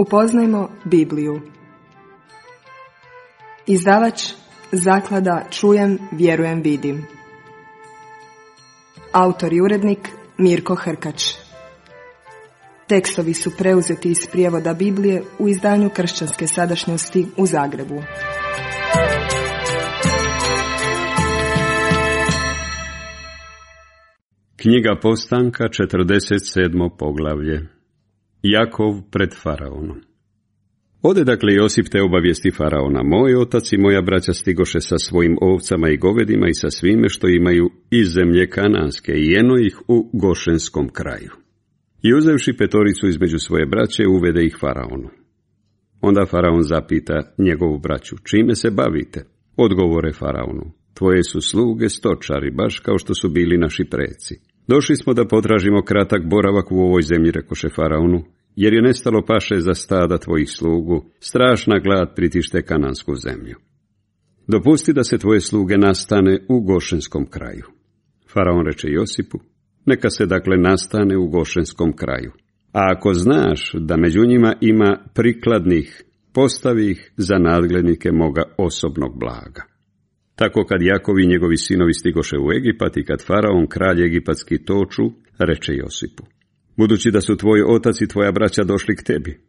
Upoznajmo Bibliju. Izdavač Zaklada Čujem, vjerujem, vidim. Autor i urednik Mirko Hrkač. Tekstovi su preuzeti iz prijevoda Biblije u izdanju Kršćanske sadašnjosti u Zagrebu. Knjiga Postanka, 47. poglavlje. Jakov pred faraonom. Ode dakle Josip te obavijesti faraona: moj otac i moja braća stigoše sa svojim ovcama i govedima i sa svime što imaju iz zemlje kananske i jeno ih u Gošenskom kraju. I uzevši petoricu između svoje braće, uvede ih faraonu. Onda faraon zapita njegovu braću: čime se bavite? Odgovore faraonu: tvoje su sluge stočari, baš kao što su bili naši preci. Došli smo da potražimo kratak boravak u ovoj zemlji, rekoše faraonu, jer je nestalo paše za stada tvojih slugu, strašna glad pritište kanansku zemlju. Dopusti da se tvoje sluge nastane u Gošenskom kraju. Faraon reče Josipu: neka se dakle nastane u Gošenskom kraju. A ako znaš da među njima ima prikladnih, postavi ih za nadglednike moga osobnog blaga. Tako kad Jakov i njegovi sinovi stigoše u Egipat i kad faraon, kralj egipatski, toču, reče Josipu: budući da su tvoj otac i tvoja braća došli k tebi,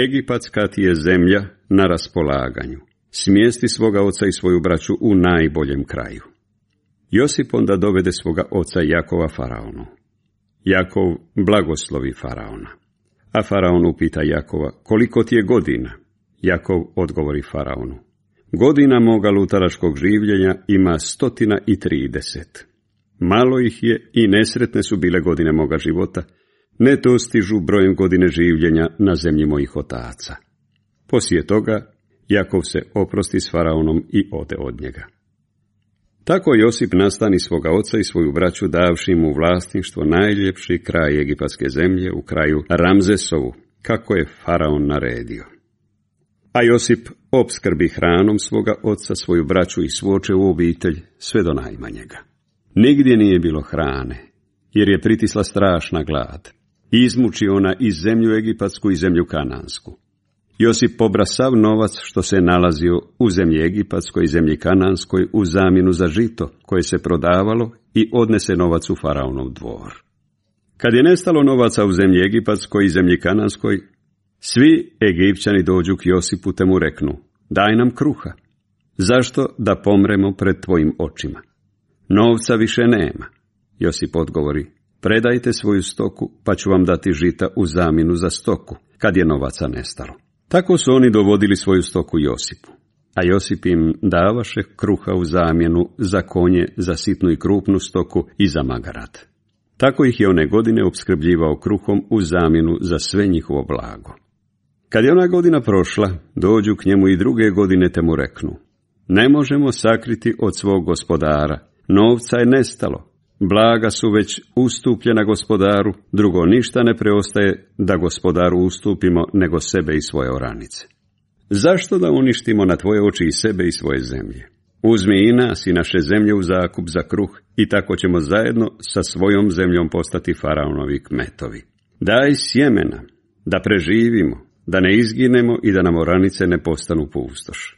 egipatska ti je zemlja na raspolaganju. Smjesti svoga oca i svoju braću u najboljem kraju. Josip onda dovede svoga oca Jakova faraonu. Jakov blagoslovi faraona. A faraon upita Jakova: koliko ti je godina? Jakov odgovori faraonu: godina moga lutaraškog življenja ima 130. Malo ih je i nesretne su bile godine moga života, ne dostižu brojem godine življenja na zemlji mojih otaca. Poslije toga Jakov se oprosti s faraonom i ode od njega. Tako Josip nastani svoga oca i svoju braću, davši mu vlasništvo najljepši kraj egipatske zemlje u kraju Ramzesovu, kako je faraon naredio. A Josip opskrbi hranom svoga oca, svoju braću i svu očevu obitelj, sve do najmanjega. Nigdje nije bilo hrane, jer je pritisla strašna glad. Izmuči ona i zemlju egipatsku i zemlju kanansku. Josip pobra sav novac što se nalazio u zemlji egipatskoj i zemlji kananskoj u zamjenu za žito koje se prodavalo i odnese novac u faraonov dvor. Kad je nestalo novaca u zemlji egipatskoj i zemlji kananskoj, svi Egipćani dođu k Josipu te mu reknu: daj nam kruha. Zašto da pomremo pred tvojim očima? Novca više nema. Josip odgovori: predajte svoju stoku, pa ću vam dati žita u zamjenu za stoku, kad je novaca nestalo. Tako su oni dovodili svoju stoku Josipu, a Josip im davaše kruha u zamjenu za konje, za sitnu i krupnu stoku i za magarat. Tako ih je one godine opskrbljivao kruhom u zamjenu za sve njihovo blago. Kad je ona godina prošla, dođu k njemu i druge godine te mu reknu: ne možemo sakriti od svog gospodara, novca je nestalo, blaga su već ustupljena gospodaru, drugo ništa ne preostaje da gospodaru ustupimo nego sebe i svoje oranice. Zašto da uništimo na tvoje oči i sebe i svoje zemlje? Uzmi i nas i naše zemlje u zakup za kruh i tako ćemo zajedno sa svojom zemljom postati faraonovi kmetovi. Daj sjemena, da preživimo, da ne izginemo i da nam oranice ne postanu pustoš.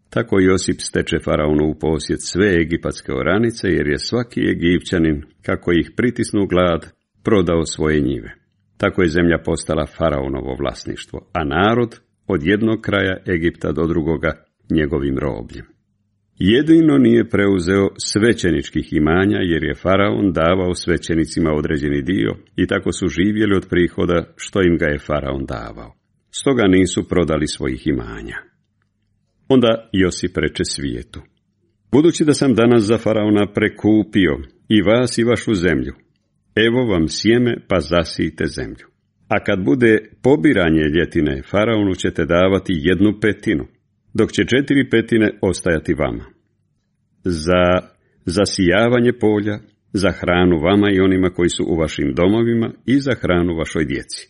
Tako Josip steče faraonu u posjed sve egipatske oranice, jer je svaki Egipćanin, kako ih pritisnu glad, prodao svoje njive. Tako je zemlja postala faraonovo vlasništvo, a narod od jednog kraja Egipta do drugoga njegovim robljem. Jedino nije preuzeo svećeničkih imanja, jer je faraon davao svećenicima određeni dio i tako su živjeli od prihoda što im ga je faraon davao. Stoga nisu prodali svojih imanja. Onda Josip reče svijetu: budući da sam danas za faraona prekupio i vas i vašu zemlju, evo vam sjeme pa zasijte zemlju. A kad bude pobiranje ljetine, faraonu ćete davati 1/5, dok će 4/5 ostajati vama. Za zasijavanje polja, za hranu vama i onima koji su u vašim domovima i za hranu vašoj djeci.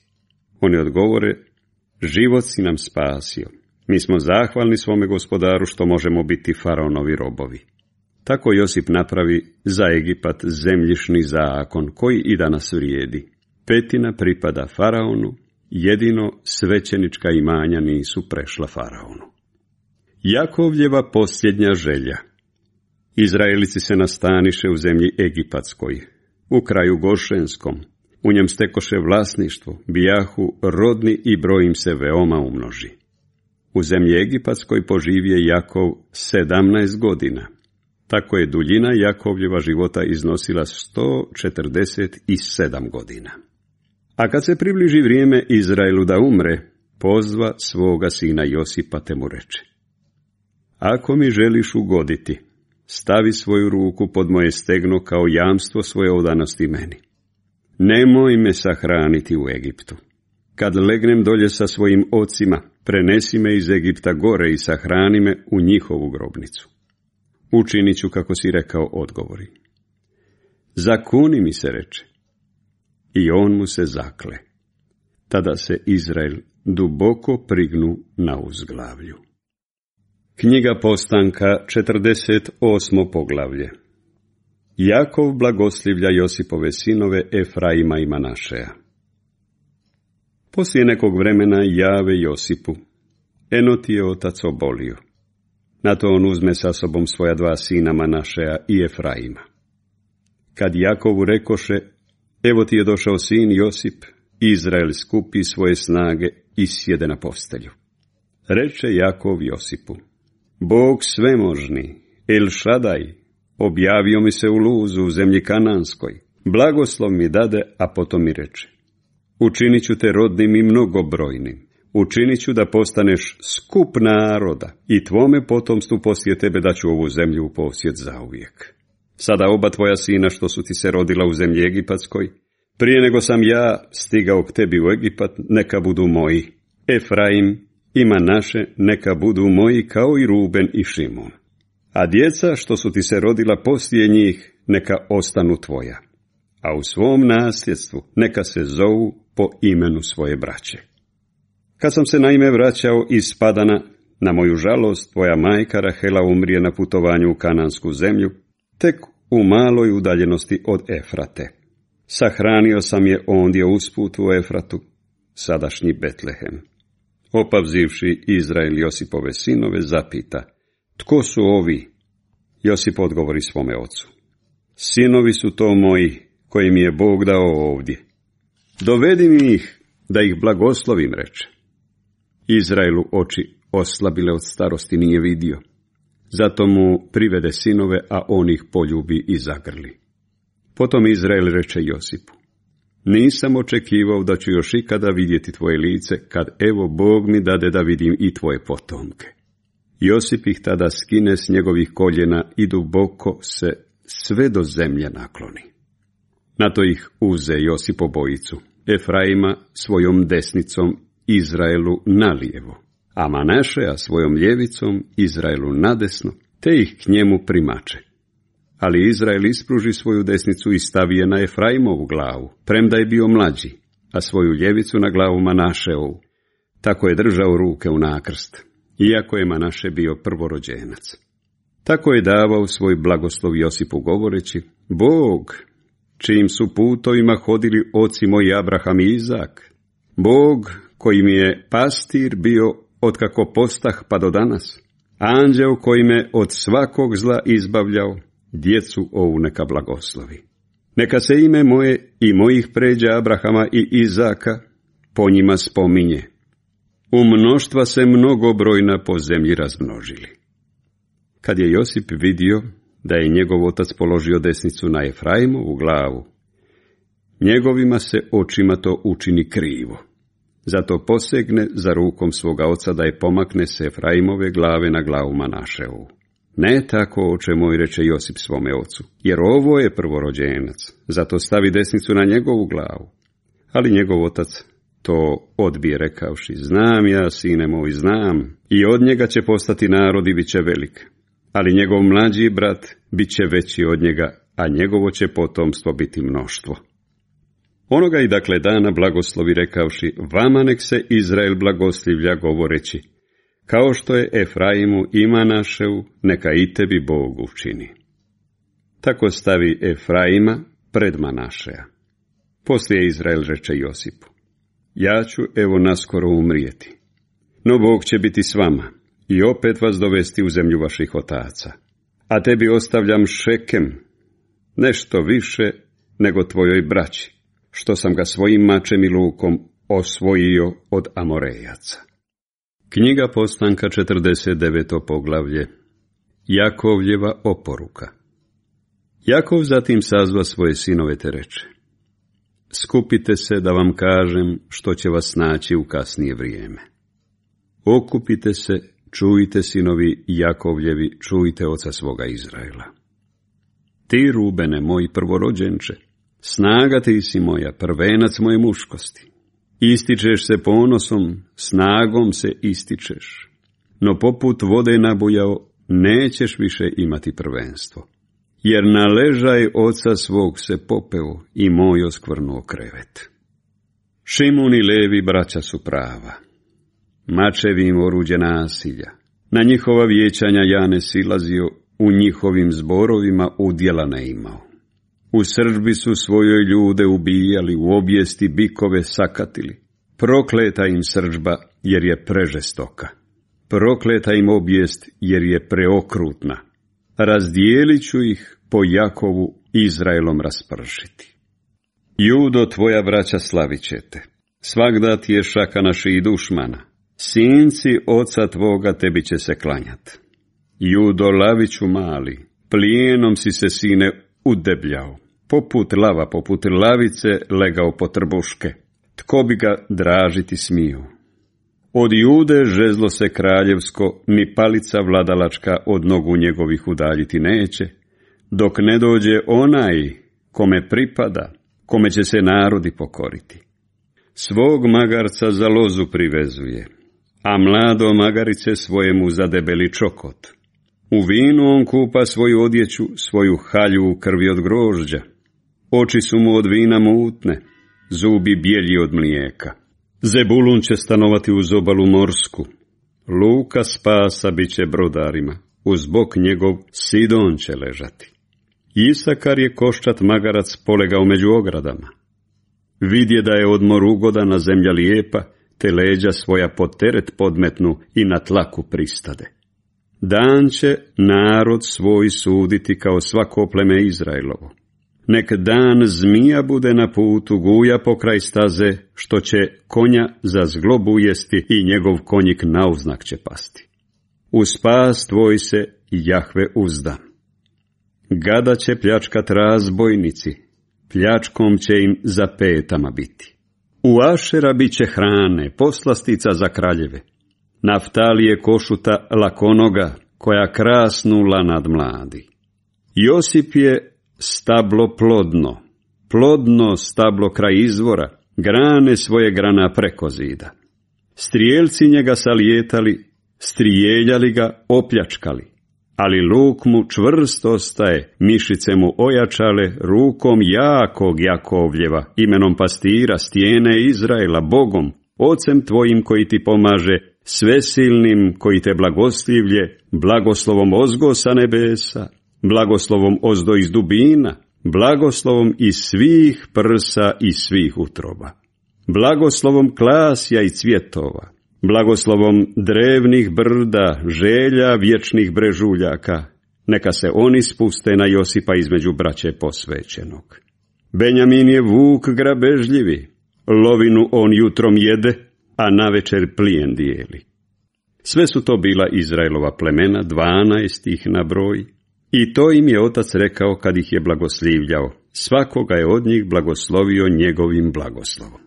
Oni odgovore: život si nam spasio. Mi smo zahvalni svome gospodaru što možemo biti faraonovi robovi. Tako Josip napravi za Egipat zemljišni zakon koji i danas vrijedi. 1/5 pripada faraonu, jedino svećenička imanja nisu prešla faraonu. Jakovljeva posljednja želja. Izraelici se nastaniše u zemlji Egipatskoj, u kraju Gošenskom, u njem stekoše vlasništvo, bijahu rodni i broj im se veoma umnoži. U zemlji Egipatskoj poživije Jakov 17 godina. Tako je duljina Jakovljeva života iznosila 147 godina. A kad se približi vrijeme Izraelu da umre, pozva svoga sina Josipa te mu reče: Ako mi želiš ugoditi, stavi svoju ruku pod moje stegno kao jamstvo svoje odanosti meni. Nemoj me sahraniti u Egiptu. Kad legnem dolje sa svojim ocima, prenesi me iz Egipta gore i sahrani me u njihovu grobnicu. Učinit ću kako si rekao, odgovori. Zakuni mi se, reče. I on mu se zakle. Tada se Izrael duboko prignu na uzglavlju. Knjiga Postanka, 48. poglavlje. Jakov blagoslivlja Josipove sinove Efraima i Manašeja. Poslije nekog vremena jave Josipu: Eno ti je otac obolio. Na to on uzme sa sobom svoja dva sina Manašeja i Efraima. Kad Jakovu rekoše: Evo ti je došao sin Josip, Izrael skupi svoje snage i sjede na postelju. Reče Jakov Josipu: Bog svemožni, El Šadaj, objavio mi se u Luzu u zemlji Kananskoj. Blagoslov mi dade, a potom mi reče: Učinit ću te rodnim i mnogobrojnim. Učinit ću da postaneš skup naroda i tvome potomstvu poslije tebe daću ovu zemlju u posjed zauvijek. Sada oba tvoja sina što su ti se rodila u zemlji Egipatskoj, prije nego sam ja stigao k tebi u Egipat, neka budu moji. Efraim i Manaše neka budu moji kao i Ruben i Šimun. A djeca što su ti se rodila poslije njih neka ostanu tvoja. A u svom nasljedstvu neka se zovu po imenu svoje braće. Kad sam se naime vraćao iz Padana, na moju žalost tvoja majka Rahela umrije na putovanju u Kanansku zemlju, tek u maloj udaljenosti od Efrate. Sahranio sam je ondje usput u Efratu, sadašnji Betlehem. Opavzivši Izrael Josipove sinove, zapita: Tko su ovi? Josip odgovori svome ocu: Sinovi su to moji, koji mi je Bog dao ovdje. Dovedi mi ih, da ih blagoslovim, reče. Izraelu oči oslabile od starosti nije vidio. Zato mu privede sinove, a on ih poljubi i zagrli. Potom Izrael reče Josipu: Nisam očekivao da ću još ikada vidjeti tvoje lice, kad evo Bog mi dade da vidim i tvoje potomke. Josip ih tada skine s njegovih koljena i duboko se sve do zemlje nakloni. Na to ih uze Josip obojicu, Efraima svojom desnicom, Izraelu nalijevo, a Manašeja svojom ljevicom, Izraelu nadesno, te ih k njemu primače. Ali Izrael ispruži svoju desnicu i stavi je na Efraimovu glavu, premda je bio mlađi, a svoju ljevicu na glavu Manašeovu. Tako je držao ruke u nakrst, iako je Manaše bio prvorođenac. Tako je davao svoj blagoslov Josipu govoreći: Bog, čijim su putovima hodili oci moji Abraham i Izak, Bog koji mi je pastir bio otkako postah pa do danas, anđeo koji me od svakog zla izbavljao, djecu ovu neka blagoslovi. Neka se ime moje i mojih pređa Abrahama i Izaka po njima spominje. U mnoštva se mnogobrojna po zemlji razmnožili. Kad je Josip vidio da je njegov otac položio desnicu na Efraimovu glavu, njegovima se očima to učini krivo. Zato posegne za rukom svoga oca da je pomakne se Efraimove glave na glavu Manaševu. Ne tako, oče moj, reče Josip svome ocu, jer ovo je prvorođenac, zato stavi desnicu na njegovu glavu. Ali njegov otac to odbije rekavši: Znam ja, sine moj, znam, i od njega će postati narod i bit će velik. Ali njegov mlađi brat bit će veći od njega, a njegovo će potomstvo biti mnoštvo. Onoga i dakle dana blagoslovi rekavši: Vama nek se Izrael blagoslivlja, govoreći: Kao što je Efraimu i Manaševu, neka i tebi Bog učini. Tako stavi Efraima pred Manašeja. Poslije Izrael reče Josipu: ja ću evo naskoro umrijeti. No Bog će biti s vama i opet vas dovesti u zemlju vaših otaca. A tebi ostavljam Šekem, nešto više nego tvojoj braći, što sam ga svojim mačem i lukom osvojio od Amorejaca. Knjiga Postanka, 49. poglavlje. Jakovljeva oporuka. Jakov zatim sazva svoje sinove te reče: skupite se da vam kažem što će vas naći u kasnije vrijeme. Okupite se, čujte sinovi Jakovljevi, čujte oca svoga Izraela. Ti, Rubene, moj prvorođenče, snaga ti si moja, prvenac moje muškosti. Ističeš se ponosom, snagom se ističeš, no poput vode nabujao nećeš više imati prvenstvo. Jer na ležaj oca svog se popeo i moj oskvrnuo krevet. Šimun i Levi braća su prava, mačevi im oruđe nasilja. Na njihova vijećanja ja ne silazio, u njihovim zborovima udjela ne imao. U srdbi su svojoj ljude ubijali, u objesti bikove sakatili. Prokleta im srdžba, jer je prežestoka. Prokleta im objest, jer je preokrutna. Razdijelit ću ih po Jakovu, Izraelom raspršiti. Judo, tvoja braća slavit će te. Svagda ti je šaka naših dušmana. Sinci oca tvoga tebi će se klanjat. Judo, laviću mali, plijenom si se, sine, udebljao. Poput lava, poput lavice legao po trbuške. Tko bi ga dražiti smio? Od Jude žezlo se kraljevsko, ni palica vladalačka od nogu njegovih udaljiti neće, dok ne dođe onaj kome pripada, kome će se narodi pokoriti. Svog magarca za lozu privezuje, a mlado magarice svojemu za debeli čokot. U vinu on kupa svoju odjeću, svoju halju u krvi od grožđa. Oči su mu od vina mutne, zubi bijeli od mlijeka. Zebulun će stanovati uz obalu morsku. Luka spasa bit će brodarima, uz bok njegov Sidon će ležati. Isakar je koščat magarac polegao među ogradama. Vidje da je odmor ugodan, a zemlja lijepa, te leđa svoja pod teret podmetnu i na tlaku pristade. Dan će narod svoj suditi kao svako pleme Izraelovo. Nek dan zmija bude na putu, guja pokraj staze, što će konja za zglobu jesti i njegov konjik nauznak će pasti. U spas tvoj se Jahve uzda. Gada će pljačkat razbojnici, pljačkom će im za petama biti. U Ašera bit će hrane, poslastica za kraljeve. Naftalije košuta lakonoga, koja krasnula nad mladi. Josip je stablo plodno, plodno stablo kraj izvora, grane svoje grana preko zida. Strijelci njega salijetali, strijeljali ga, opljačkali, ali luk mu čvrst ostaje, mišice mu ojačale, rukom jakog Jakovljeva, imenom pastira, stijene Izraela, Bogom, ocem tvojim koji ti pomaže, svesilnim koji te blagoslivlje, blagoslovom ozgo sa nebesa, blagoslovom ozdo iz dubina, blagoslovom iz svih prsa i svih utroba, blagoslovom klasja i cvjetova, blagoslovom drevnih brda, želja vječnih brežuljaka, neka se oni spuste na Josipa između braće posvećenog. Benjamin je vuk grabežljivi, lovinu on jutrom jede, a navečer plijen dijeli. Sve su to bila Izraelova plemena, 12 ih na broj, i to im je otac rekao kad ih je blagoslivljao. Svakoga je od njih blagoslovio njegovim blagoslovom.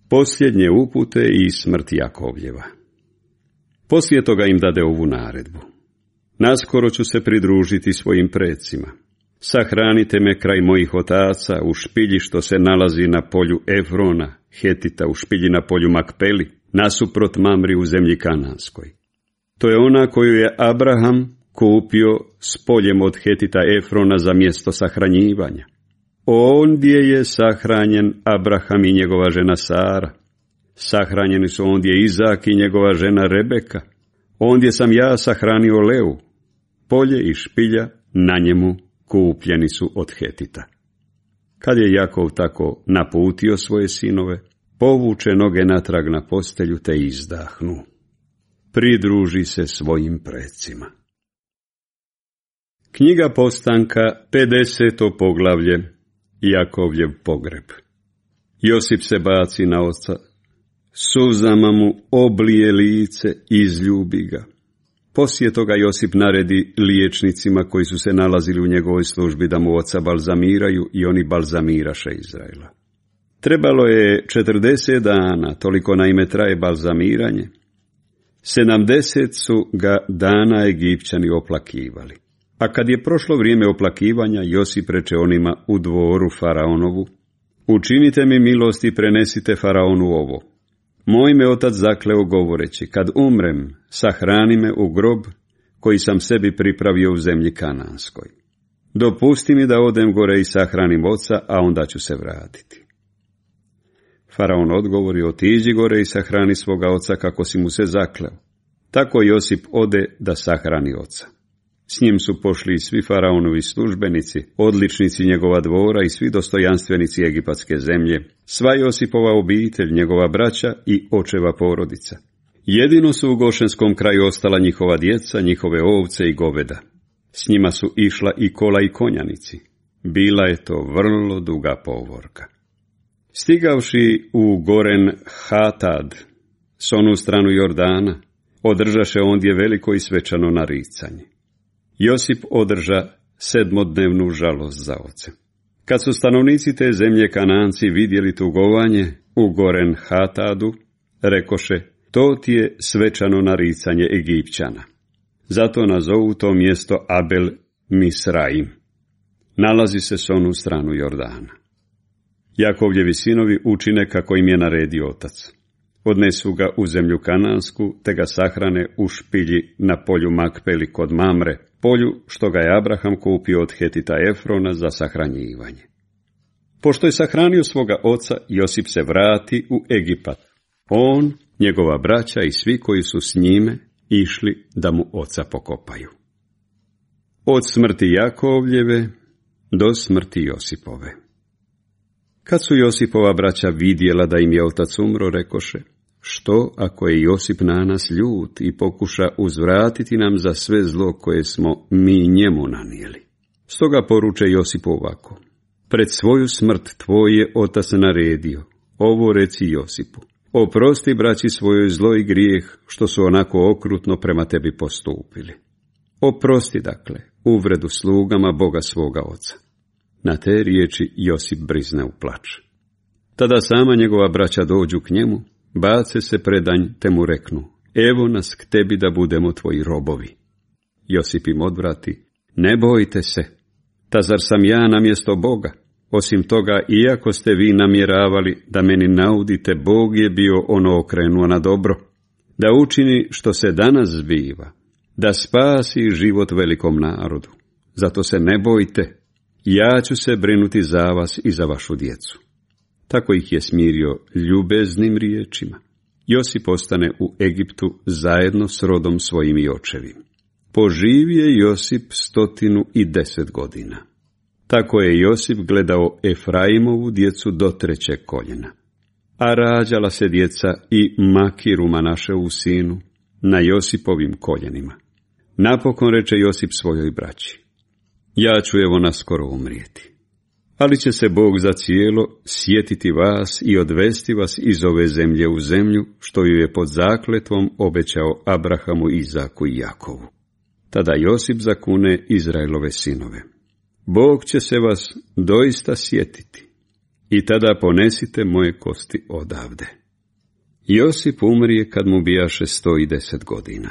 Posljednje upute i smrt Jakovljeva. Poslije toga im dade ovu naredbu. Naskoro ću se pridružiti svojim precima. Sahranite me kraj mojih otaca u špilji što se nalazi na polju Efrona, Hetita, u špilji na polju Makpeli, nasuprot Mamri u zemlji Kananskoj. To je ona koju je Abraham kupio s poljem od Hetita Efrona za mjesto sahranjivanja. Ondje je sahranjen Abraham i njegova žena Sara. Sahranjeni su ondje Izak i njegova žena Rebeka. Ondje sam ja sahranio Leu. Polje i špilja na njemu kupljeni su od Hetita. Kad je Jakov tako naputio svoje sinove, povuče noge natrag na postelju te izdahnu. Pridruži se svojim precima. Knjiga Postanka, 50. poglavlje, Jakovljev pogreb. Josip se baci na oca, suzama mu oblije lice, izljubi ga. Poslije toga Josip naredi liječnicima koji su se nalazili u njegovoj službi da mu oca balzamiraju i oni balzamiraše Izraela. Trebalo je 40 dana, toliko naime traje balzamiranje. 70 su ga dana Egipćani oplakivali. A kad je prošlo vrijeme oplakivanja, Josip reče onima u dvoru faraonovu: učinite mi milost i prenesite faraonu ovo. Moj me otac zakleo govoreći, kad umrem, sahrani me u grob koji sam sebi pripravio u zemlji Kananskoj. Dopusti mi da odem gore i sahranim oca, a onda ću se vratiti. Faraon odgovori: otiđi gore i sahrani svoga oca kako si mu se zakleo. Tako Josip ode da sahrani oca. S njim su pošli i svi faraonovi službenici, odličnici njegova dvora i svi dostojanstvenici egipatske zemlje, sva Josipova obitelj, njegova braća i očeva porodica. Jedino su u Gošenskom kraju ostala njihova djeca, njihove ovce i goveda. S njima su išla i kola i konjanici. Bila je to vrlo duga povorka. Stigavši u Goren Hatad, s onu stranu Jordana, održaše ondje veliko i svečano naricanje. Josip održa 7-dnevnu žalost za ocem. Kad su stanovnici te zemlje Kananci vidjeli tugovanje u Goren Hatadu, rekoše: to ti je svečano naricanje Egipćana. Zato nazovu to mjesto Abel Misraim. Nalazi se s onu stranu Jordana. Jakovljevi sinovi učine kako im je naredio otac. Odnesu ga u zemlju Kanansku, te ga sahrane u špilji na polju Makpeli kod Mamre, polju što ga je Abraham kupio od Hetita Efrona za sahranjivanje. Pošto je sahranio svoga oca, Josip se vrati u Egipat. On, njegova braća i svi koji su s njime išli da mu oca pokopaju. Od smrti Jakovljeve do smrti Josipove. Kad su Josipova braća vidjela da im je otac umro, rekoše: što ako je Josip na nas ljut i pokuša uzvratiti nam za sve zlo koje smo mi njemu nanijeli? Stoga poruče Josipu ovako: pred svoju smrt tvoj je otac naredio, ovo reci Josipu: oprosti braći svojoj zlo i grijeh što su onako okrutno prema tebi postupili. Oprosti dakle uvredu slugama Boga svoga oca. Na te riječi Josip brizne u plač. Tada sama njegova braća dođu k njemu, bace se predanj te mu reknu: evo nas k tebi da budemo tvoji robovi. Josip im odvrati: ne bojte se, ta zar sam ja namjesto Boga? Osim toga, iako ste vi namjeravali da meni naudite, Bog je bio ono okrenuo na dobro, da učini što se danas zbiva, da spasi život velikom narodu. Zato se ne bojte, ja ću se brinuti za vas i za vašu djecu. Tako ih je smirio ljubeznim riječima. Josip ostane u Egiptu zajedno s rodom svojim i očevim. Poživije Josip 110 godina. Tako je Josip gledao Efraimovu djecu do 3. koljena. A rađala se djeca i Makiru Manaševu sinu na Josipovim koljenima. Napokon reče Josip svojoj braći: ja ću evo naskoro umrijeti. Ali će se Bog za cijelo sjetiti vas i odvesti vas iz ove zemlje u zemlju, što ju je pod zakletvom obećao Abrahamu, Izaku i Jakovu. Tada Josip zakune Izraelove sinove: Bog će se vas doista sjetiti i tada ponesite moje kosti odavde. Josip umrije kad mu bijaše 110 godina.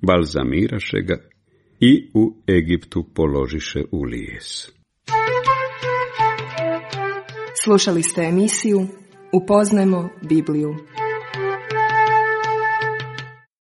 Balzamiraše ga i u Egiptu položiše u lijes. Slušali ste emisiju Upoznajmo Bibliju.